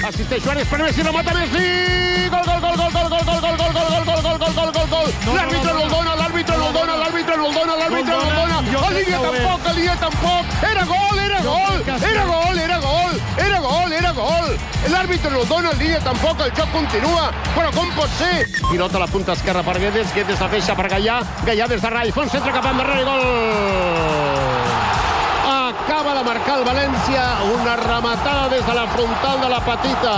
Assisteix Suárez per Messi, remata Messi! Gol, gol, gol, gol, gol, gol, gol, gol, gol, gol, gol, gol, gol, gol, gol, gol. L'àrbitre no el dona, l'àrbitre no el dona, l'àrbitre no el dona, l'àrbitre no el dona. El línia tampoc. Era gol, era gol, era gol, era gol, era gol, era gol. L'àrbitre no el dona, el línia tampoc, el joc continua. Però com pot ser? Pilota a la punta esquerra per Guedes, Guedes la deixa per Gaià, Gaià des de Rai, fa un centre cap endarrere i gol! Acaba de marcar el València, una rematada des de la frontal de la petita.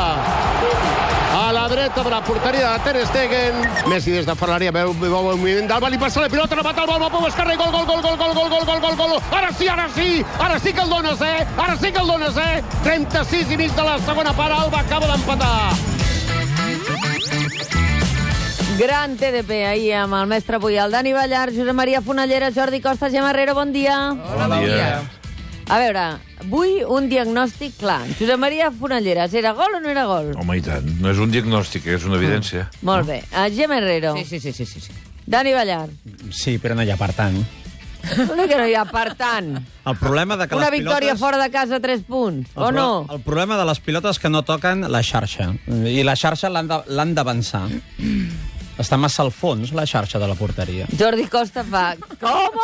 A la dreta de la porteria de Ter Stegen. Messi des de fora l'àrea, veu el moviment d'Alba, li passa la pilota, remata el Balma, Pau Esquerra i gol, gol, gol, gol, gol, gol, gol, gol, gol, gol. Ara sí que el dones, Ara sí que el dones, 36 i mig de la segona part, Alba acaba d'empatar. Gran TDP ahir amb el mestre Puyal, Dani Ballar, Josep Maria Fonallera, Jordi Costa, Gemma Herrero, bon dia. Hola, bon dia. A veure, vull un diagnòstic clar. Josep Maria Fonalleras, era gol o no era gol? Home, i tant. No és un diagnòstic, és una evidència. Molt bé. Gemma Herrero. Sí. Dani Ballar. Sí, però no hi ha per tant. No que no hi ha per tant. El problema de que Una les victòria pilotes... fora de casa, 3 punts, o no? El problema de les pilotes que no toquen la xarxa. I la xarxa l'han d'avançar. Està massa al fons, la xarxa de la porteria. Jordi Costa fa... Com?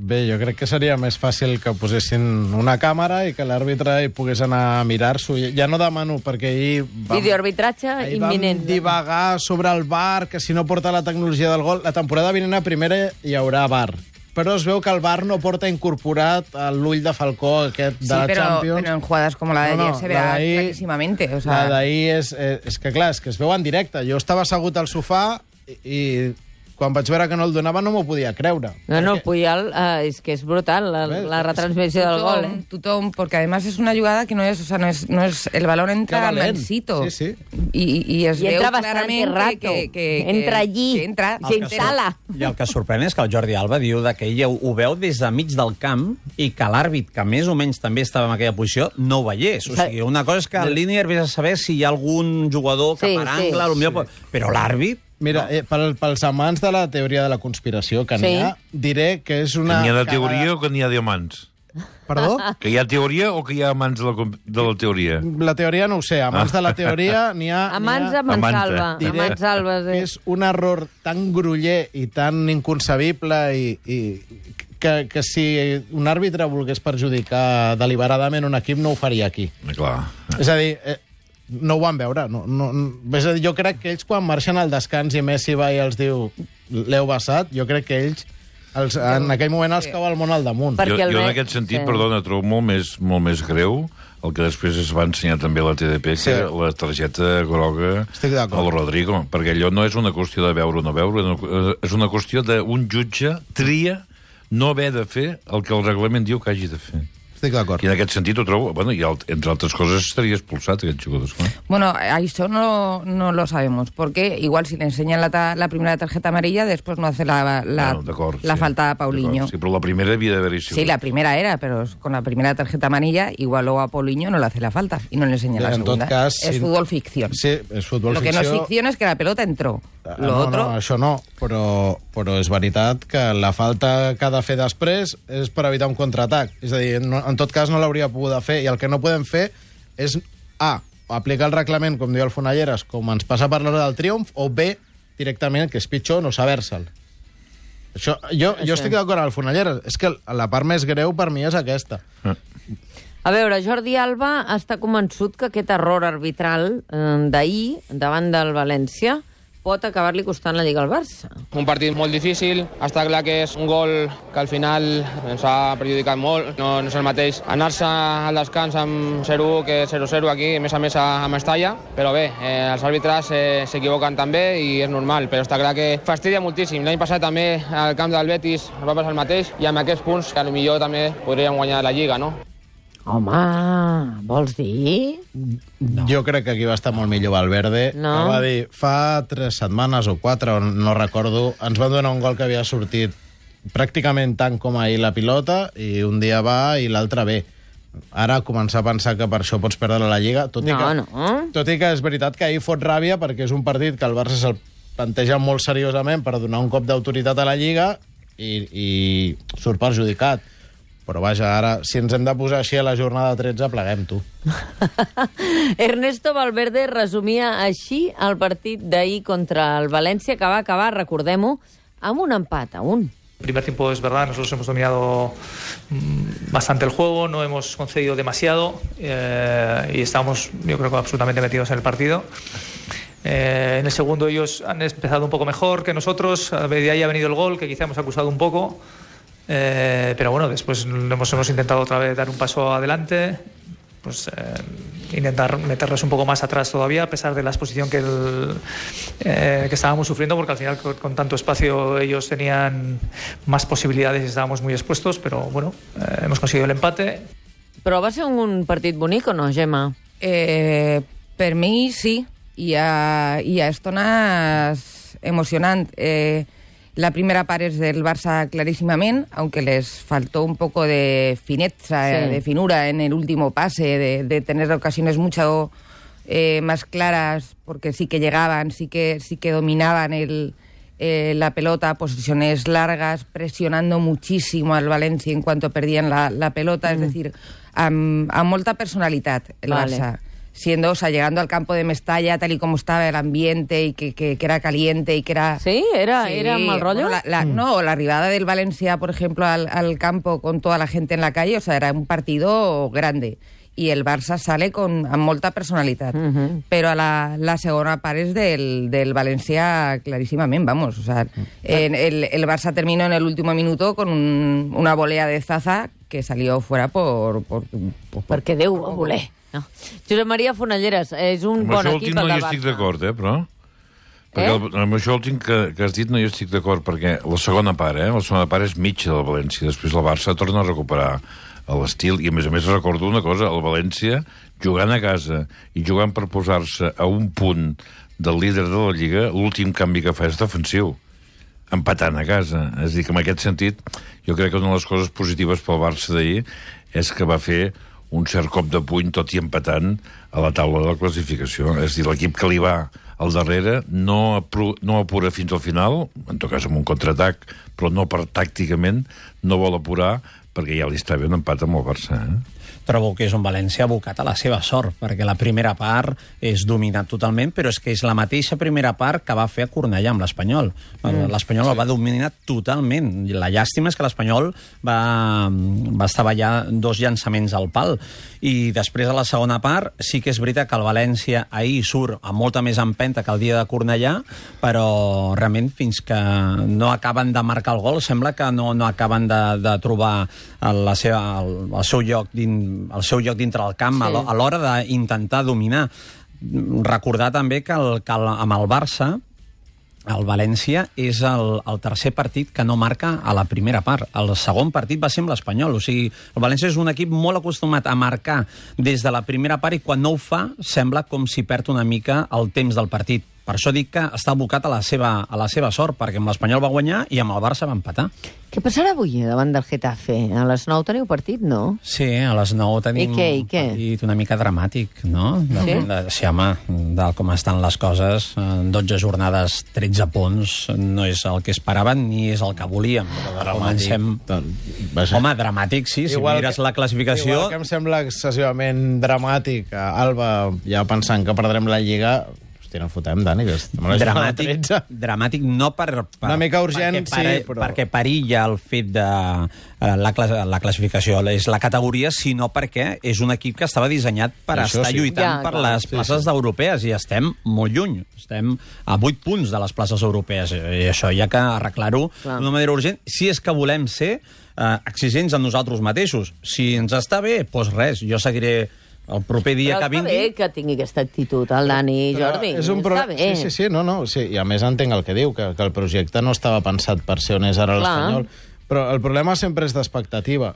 Bé, jo crec que seria més fàcil que posessin una càmera i que l'àrbitre hi pogués anar a mirar-s'ho. Ja no demano, perquè ahir... Videoarbitratge imminent. Vam divagar sobre el VAR, que si no porta la tecnologia del gol... La temporada vinent a primera hi haurà VAR. Però es veu que el VAR no porta incorporat l'ull de Falcó aquest de la Champions. Sí, però en jugadas como la de ayer se verá clarísimamente. O sea... La d'ahir és que, clar, és que es veu en directe. Jo estava assegut al sofà i quan vaig veure que no el donava no m'ho podia creure. No, Puyal, és que és brutal, la retransmissió del gol. Tothom, porque además es una jugada que no es, o sea, no es el balón entra mansito. Sí. Y es veu entra clarament rato. que entra allí, s'instal·la. I el que sorprèn és que el Jordi Alba diu que ell ho veu des de mig del camp i que l'àrbit, que més o menys també estava en aquella posició, no ho veiés. O sigui, una cosa és que el línier vés a saber si hi ha algun jugador que per angle... Però l'àrbit... Mira, pels amants de la teoria de la conspiració que n'hi ha, diré que és una... Que n'hi ha de teoria o que n'hi ha d'amants? Perdó? Que hi ha teoria o que hi ha amants de la teoria? La teoria no ho sé. Amants de la teoria n'hi ha... Amants a Mansalva. Diré que és un error tan groller i tan inconcebible que si un àrbitre volgués perjudicar deliberadament un equip no ho faria aquí. Clar. És a dir... No ho van veure. És a dir, jo crec que ells, quan marxen al descans i Messi va i els diu l'heu vessat, jo crec que ells, en aquell moment, els cau el món al damunt. Jo en aquest sentit, perdona, trobo molt més greu el que després es va ensenyar també a la TDP, que la targeta groga al Rodrigo, perquè allò no és una qüestió de veure o no veure, és una qüestió d'un jutge tria no haver de fer el que el reglament diu que hagi de fer. Estic d'acord. I en aquest sentit ho trobo... Bueno, i entre altres coses estaria expulsat, aquests jugadors. Bueno, eso no lo sabemos, porque igual si le enseñan la primera tarjeta amarilla, después no hace la falta a Paulinho. Sí, però la primera havia d'haver-hi sigut. Sí, la primera era, pero con la primera tarjeta amarilla, igual luego a Paulinho no le hace la falta y no le enseña la segunda. En tot cas, es fútbol ficción. Sí, és futbol ficció. Lo que no es ficción es que la pelota entró. No, això no, però és veritat que la falta que ha de fer després és per evitar un contraatac. És a dir, en tot cas no l'hauria pogut fer, i el que no podem fer és aplicar el reglament, com diu el Fonalleras, com ens passa per l'hora del triomf, o B, directament, que és pitjor, no saber-se'l. Jo estic d'acord amb el Fonalleras. És que la part més greu per mi és aquesta. A veure, Jordi Alba està convençut que aquest error arbitral d'ahir davant del València pot acabar-li costant la Lliga al Barça. Un partit molt difícil, està clar que és un gol que al final ens ha perjudicat molt. No és el mateix anar-se al descans amb 0-1 que 0-0 aquí, a més a Mestalla, però bé, els àrbitres s'equivoquen també i és normal, però està clar que fastidia moltíssim. L'any passat també al camp del Betis va passar el mateix i amb aquests punts que potser també podríem guanyar la Lliga, no? Home, vols dir? No. Jo crec que aquí va estar molt millor Valverde. No. Que va dir, fa 3 setmanes o 4, no recordo, ens van donar un gol que havia sortit pràcticament tant com ahir la pilota, i un dia va i l'altre bé. Ara començar a pensar que per això pots perdre la Lliga, tot i que és veritat que ahir fot ràbia, perquè és un partit que el Barça se'l planteja molt seriosament per donar un cop d'autoritat a la Lliga i surt perjudicat. Però vaja, ara, si ens hem de posar així a la jornada 13, pleguem, tu. Ernesto Valverde resumia així el partit d'ahir contra el València, que va acabar, recordem-ho, amb un empat a 1. El primer tiempo es verdad, nosotros hemos dominado bastante el juego, no hemos concedido demasiado y estamos, yo creo que absolutamente metidos en el partido. En el segundo ellos han empezado un poco mejor que nosotros, de ahí ha venido el gol, que quizá hemos acusado un poco, pero bueno, después hemos intentado otra vez dar un paso adelante, pues intentar meterlos un poco más atrás todavía, a pesar de la exposición que estábamos sufriendo, porque al final con tanto espacio ellos tenían más posibilidades y estábamos muy expuestos, pero bueno, hemos conseguido el empate. Però va ser un partit bonic o no, Gemma? Per mi sí, hi ha estones emocionant. La primera part és del Barça clarísimament, aunque les faltó un poco de fineza, de finura en el último pase, de tener ocasiones mucho más claras, porque sí que llegaban, sí que dominaban la pelota, posiciones largas, presionando muchísimo al Valencia en cuanto perdían la pelota, es decir, amb molta personalitat el Barça. Llegando al campo de Mestalla, tal y como estaba el ambiente, y que era caliente, y que era... ¿Sí? ¿Era mal rollo? Bueno, no, la arribada del Valencia, por ejemplo, al campo con toda la gente en la calle, o sea, era un partido grande. Y el Barça sale amb molta personalitat. Però la segona part és del Valencia clarísimament, vamos. O sea, el Barça terminó en el último minuto con una volea de Zaza que salió fuera perquè Déu va voler. No. Josep Maria Fonalleres, és un bon equip el del Barça. Amb això no hi estic d'acord, però... Perquè amb això últim que has dit no hi estic d'acord, perquè la segona part és mitja del València. Després el Barça torna a recuperar l'estil, i a més recordo una cosa, el València jugant a casa i jugant per posar-se a un punt del líder de la Lliga, l'últim canvi que fa és defensiu, empatant a casa. És a dir, que en aquest sentit, jo crec que una de les coses positives pel Barça d'ahir és que va fer un cert cop de puny, tot i empatant, a la taula de la classificació. És a dir, l'equip que li va al darrere no apura fins al final, en tot cas amb un contraatac, però no tàcticament, no vol apurar, perquè ja li està bé un empat amb el Barça. Trobo que és un València abocat a la seva sort, perquè la primera part és dominat totalment, però és que és la mateixa primera part que va fer a Cornellà amb l'Espanyol. L'Espanyol el va dominar totalment. La llàstima és que l'Espanyol va estavellar 2 llançaments al pal. I després, a la segona part, sí que és veritat que el València ahir surt amb molta més empenta que el dia de Cornellà, però realment fins que no acaben de marcar el gol sembla que no acaben de trobar el seu lloc dintre del camp a l'hora d'intentar dominar. Recordar també que amb el Barça el València és el tercer partit que no marca a la primera part. El segon partit va ser amb l'Espanyol. O sigui, el València és un equip molt acostumat a marcar des de la primera part i quan no ho fa sembla com si perd una mica el temps del partit. Per això dic que està abocat a la seva sort, perquè amb l'Espanyol va guanyar i amb el Barça va empatar. Què passarà avui davant del Getafe? A les 9 teniu partit, no? Sí, a les 9 tenim un partit una mica dramàtic, no? Sí, home, tal com estan les coses, 12 jornades, 13 punts, no és el que esperaven ni és el que volíem. Comencem... Home, dramàtic, sí, si mires la classificació... Igual que em sembla excessivament dramàtic, Alba, ja pensant que perdrem la Lliga... no fotem, Dani, que estem a la dramàtic no per... Una mica urgent, sí, però... Perquè perilla el fet de la classificació, és la categoria, sinó perquè és un equip que estava dissenyat per estar lluitant per les places europees, i estem molt lluny. Estem a 8 punts de les places europees, i això hi ha que arreglar-ho d'una manera urgent, si és que volem ser exigents amb nosaltres mateixos. Si ens està bé, doncs res, jo seguiré... El proper dia que vingui... Però està bé que tingui aquesta actitud, el Dani i Jordi. Està bé. Sí, i a més entenc el que diu, que el projecte no estava pensat per ser on és ara l'Espanyol. Però el problema sempre és d'expectativa.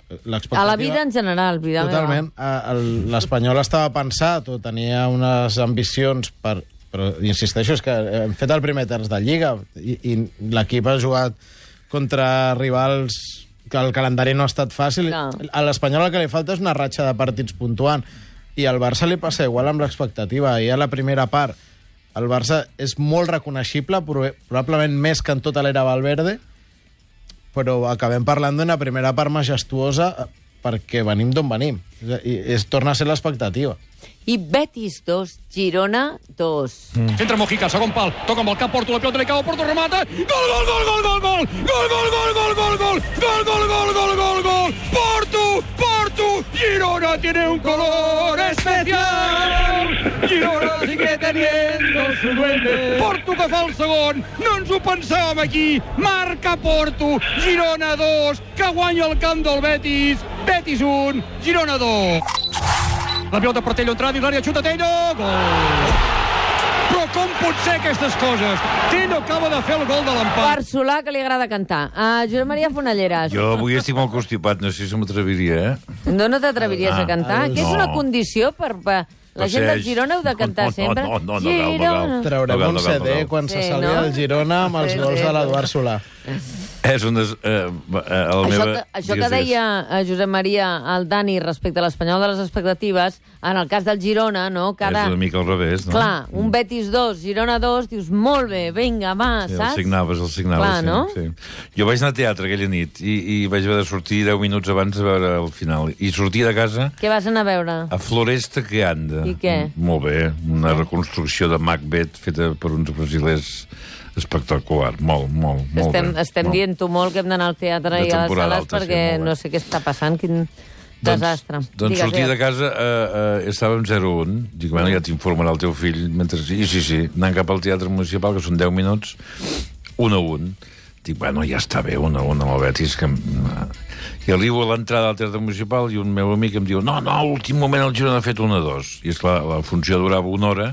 A la vida en general, vida totalment. L'Espanyol estava pensat o tenia unes ambicions per... Però, insisteixo, és que hem fet el primer terç de Lliga i l'equip ha jugat contra rivals que el calendari no ha estat fàcil. A l'Espanyol el que li falta és una ratxa de partits puntuant. I al Barça li passa igual amb l'expectativa. I a la primera part el Barça és molt reconeixible, probablement més que en tota l'era Valverde, però acabem parlant d'una primera part majestuosa perquè venim d'on venim. Es torna a ser l'expectativa. I Betis 2, Girona 2. Centra Mojica, segon pal, toca amb el cap Porto, la pilota li cau, Porto remata, gol, gol, gol, gol, gol, gol, gol, gol, gol, gol, gol, gol, gol, gol, gol, gol, gol, gol, Porto, Porto, Girona tiene un color especial, Girona sigue teniendo su duende, Porto que fa el segon, no ens ho pensàvem aquí, marca Porto, Girona 2, que guanya el camp del Betis, Betis 1, Girona 2. La pilota per Tello entrada dins l'àrea, xuta Tello, gol! Però com pot ser aquestes coses? Tello acaba de fer el gol de l'empat. Per Solà, que li agrada cantar. Josep Maria Fonalleras. Jo avui estic molt constipat, no sé si m'atreviria, No t'atreviries a cantar? Que és una condició per... La gent del Girona heu de cantar sempre. No, Girona. Traurem un CD quan se salvi el Girona amb els gols de l'Eduard Solà. És una... Això que deia Josep Maria al Dani respecte a l'Espanyol de les expectatives, en el cas del Girona, no? És una mica al revés, no? Clar, un Betis 2, Girona 2, dius, molt bé, vinga, va, saps? El signaves, Clar, no? sí. Jo vaig anar a teatre aquella nit i vaig haver de sortir 10 minuts abans a veure el final. I sortir de casa... Què vas anar a veure? A Floresta que anda. I què? Molt bé, una reconstrucció de Macbeth feta per uns brasilers espectacular, molt Estem dient-ho molt que hem d'anar al teatre i a les sales perquè no sé què està passant, quin desastre. Doncs sortir de casa estàvem 0-1, dic, bueno, ja t'informarà el teu fill, mentre sí, anant cap al teatre municipal, que són 10 minuts, 1-1. Dic, bueno, ja està bé, 1-1 amb el Betis, que... I arribo a l'entrada del teatre municipal i un meu amic em diu, no, a l'últim moment el Girona ha fet 1-2. I esclar, la funció durava 1 hora,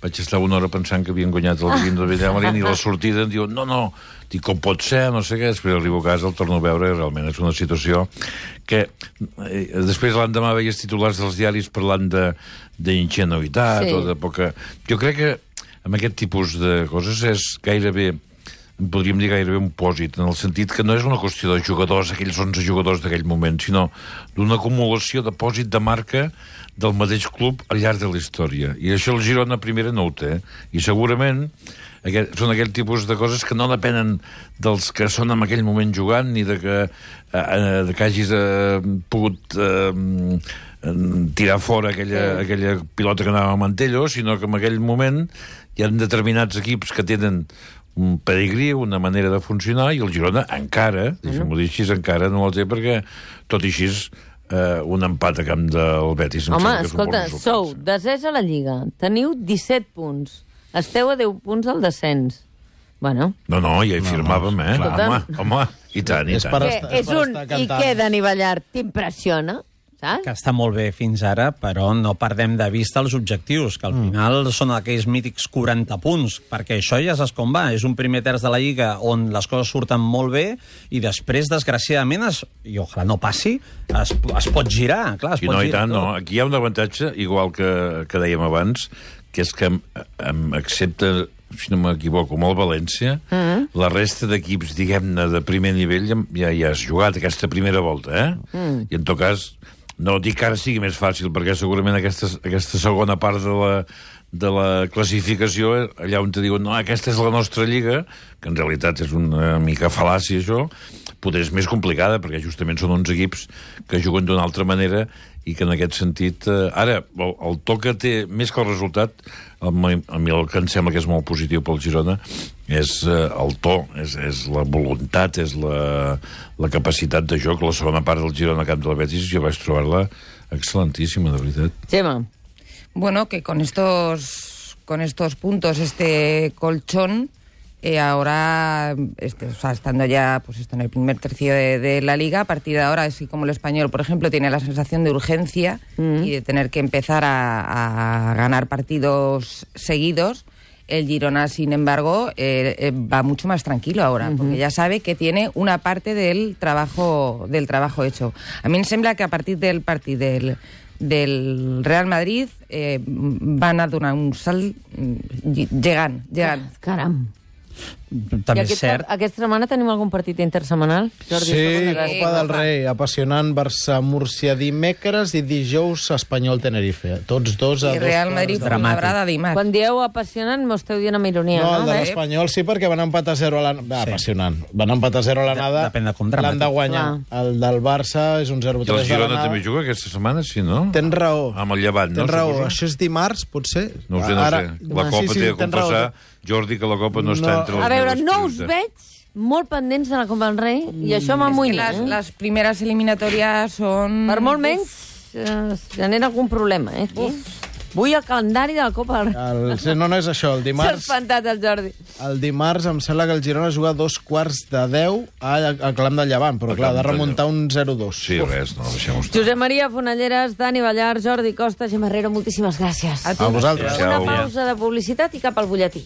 vaig estar 1 hora pensant que havien guanyat el Guim de Villamarín i la sortida em diu, no, dic, com pot ser, no sé què, després arribo a casa, el torno a veure i realment és una situació que després l'endemà veies titulars dels diaris parlant d'ingenuïtat o de poca... Jo crec que amb aquest tipus de coses és gairebé, podríem dir gairebé un pòsit, en el sentit que no és una qüestió de jugadors, aquells 11 jugadors d'aquell moment, sinó d'una acumulació de pòsit de marca del mateix club al llarg de la història. I això el Girona primera no ho té. I segurament són aquell tipus de coses que no depenen dels que són en aquell moment jugant ni de que hagis pogut tirar fora aquella pilota que anava a Mantello, sinó que en aquell moment hi ha determinats equips que tenen un pedigrí, una manera de funcionar, i el Girona encara, deixa'm-ho dir així, encara no el té perquè, tot i així, un empat a camp del Betis. Home, escolta, sou desès a la Lliga, teniu 17 punts, esteu a 10 punts del descens. Bueno. No, ja hi firmàvem, Home, i tant. I què, Dani Ballart, t'impressiona? Que està molt bé fins ara, però no perdem de vista els objectius, que al final són aquells mítics 40 punts, perquè això ja saps com va, és un primer terç de la Lliga on les coses surten molt bé i després, desgraciadament, i ojalà no passi, es pot girar, clar, es pot girar. I tant, no. Aquí hi ha un avantatge, igual que dèiem abans, que és que excepte, si no m'equivoco, amb el València, la resta d'equips, diguem-ne, de primer nivell ja has jugat aquesta primera volta, I en tot cas... No dic que ara sigui més fàcil, perquè segurament aquesta segona part de la classificació, allà on te diuen, no, aquesta és la nostra lliga, que en realitat és una mica fal·làcia, això, potser és més complicada, perquè justament són uns equips que juguen d'una altra manera i que en aquest sentit... Ara, el to que té, més que el resultat, a mi el que em sembla que és molt positiu pel Girona és el to, és la voluntat, és la capacitat de joc. La segona part del Girona camp de la Betis jo vaig trobar-la excel·lentíssima, de veritat. Gemma. Bueno, que con estos puntos, este colchón, ahora, estando ya en el primer tercio de la Liga, a partir de ahora, así como el Español, por ejemplo, tiene la sensación de urgencia y de tener que empezar a ganar partidos seguidos, el Girona, sin embargo, va mucho más tranquilo ahora, porque ya sabe que tiene una parte del trabajo hecho. A mí me sembla que a partir del partido del Real Madrid van a donar un salt llegant. Caram. També és cert. Aquesta setmana tenim algun partit intersetmanal? Jordi, Sí, Copa del Rei, apassionant Barça-Múrcia dimecres i dijous Espanyol-Tenerife. Tots dos a I Real Madrid Fuenlabrada dimarts. Quan dieu apassionant, m'ho esteu dient amb ironia, No, no? el de l'Espanyol sí, perquè van empatar 0 a l'anada. Apassionant. Van empatar 0 a l'anada. Depèn de com dramàtic. L'han de guanyar. El del Barça és un 0-3 I el de Girona l'anada. també juga aquesta setmana, sí, no? Tens raó. Amb el Llevant, no? Tens raó. Suposo? Això és dimarts, potser? No ho sé, no ho sé. La Copa té de compensar, Jordi, que la Copa no està entre les A veure, meves no us prioritats. veig molt pendents de la Copa del Rei i això Es que m'amoïna. las primeras eliminatorias son... Per molt menys es genera algun problema, aquí. Vull el calendari de la Copa del Rei. No és això. El S'ha dimarts, espantat el Jordi. el dimarts em sembla que el Girona juga a 2:45 al Camp del Llevant, però clar, ha de remuntar un 0-2. Sí, res, no, deixem-ho estar. Josep Maria Fonalleras, Dani Ballar, Jordi Costa, Gemma Herrero, moltíssimes gràcies. A vosaltres. Una Adéu. pausa de publicitat i cap al butlletí.